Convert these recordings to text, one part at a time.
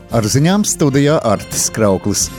Ar ziņām studijā Artis Krauklis.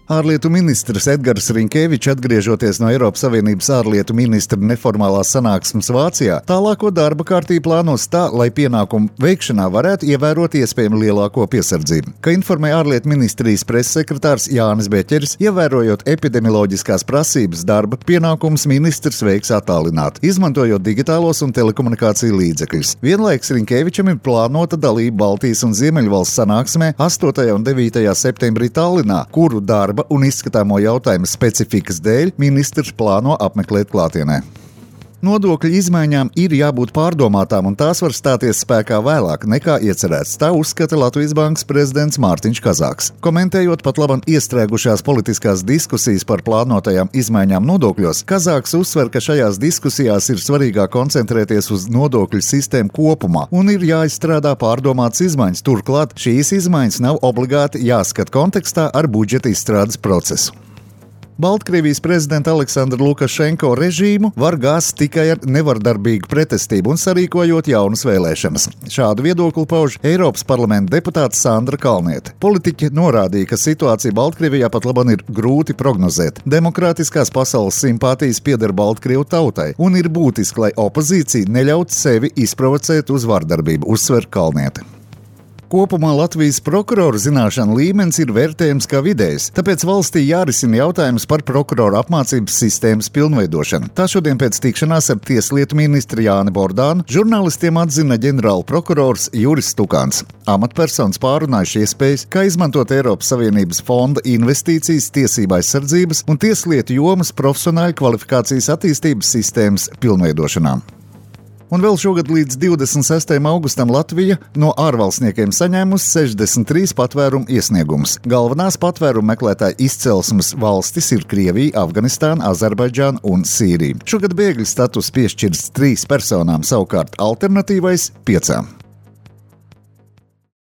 Ārlietu ministrs Edgars Rinkēvičs, atgriežoties no Eiropas Savienības ārlietu ministra neformālās sanāksmes Vācijā, tālāko darba kārtību plānos tā, lai pienākumu veikšanā varētu ievērot iespējami lielāko piesardzību. Kā informē ārlietu ministrijas pressekretārs Jānis Beķeris, ievērojot epidemioloģiskās prasības darba pienākumus ministrs veiks attālināti, izmantojot digitālos un telekomunikāciju līdzekļus. Vienlaiks Rinkēvičam ir plānota dalība Baltijas un Ziemeļvalsts sanāksmē 8. un 9. septembrī Tallinā, kuru darba un izskatāmo jautājumu specifikas dēļ ministrs plāno apmeklēt klātienē. Nodokļu izmaiņām ir jābūt pārdomātām, un tās var stāties spēkā vēlāk nekā iecerēts. Tā uzskata Latvijas Bankas prezidents Mārtiņš Kazāks. Komentējot pat labam iestrēgušās politiskās diskusijas par plānotajām izmaiņām nodokļos, Kazāks uzsver, ka šajās diskusijās ir svarīgāk koncentrēties uz nodokļu sistēmu kopumā un ir jāizstrādā pārdomātas izmaiņas. Turklāt šīs izmaiņas nav obligāti jāskata kontekstā ar budžeta izstrādes procesu. Baltkrievijas prezidenta Aleksandra Lukašenko režīmu var gāzt tikai ar nevardarbīgu pretestību un sarīkojot jaunas vēlēšanas. Šādu viedokli pauž Eiropas parlamenta deputāte Sandra Kalniete. Politiķe norādīja, ka situācija Baltkrievijā pat labam ir grūti prognozēt. Demokrātiskās pasaules simpātijas pieder Baltkrievu tautai un ir būtiski, lai opozīcija neļautu sevi izprovocēt uz vardarbību, uzsver Kalniete. Kopumā Latvijas prokuroru zināšanu līmenis ir vērtējams kā vidējs, tāpēc valstī jārisina jautājums par prokuroru apmācības sistēmas pilnveidošanu. Tā šodien pēc tikšanās ar tieslietu ministru Jāni Bordānu žurnālistiem atzina ģenerāla prokurors Juris Stukāns. Amatpersonas pārunājuši iespējas, kā izmantot Eiropas Savienības fonda investīcijas tiesību aizsardzības un tieslietu jomas profesionāļu kvalifikācijas attīstības sistēmas pilnveidošanām. Un vēl šogad līdz 26. augustam Latvija no ārvalstniekiem saņēmusi 63 patvērumu iesniegumus. Galvenās patvērumu meklētāju izcelsmes valstis ir Krievija, Afganistāna, Azerbaidžāna un Sīrija. Šogad bēgļu status piešķirts 3 personām, savukārt alternatīvais 5.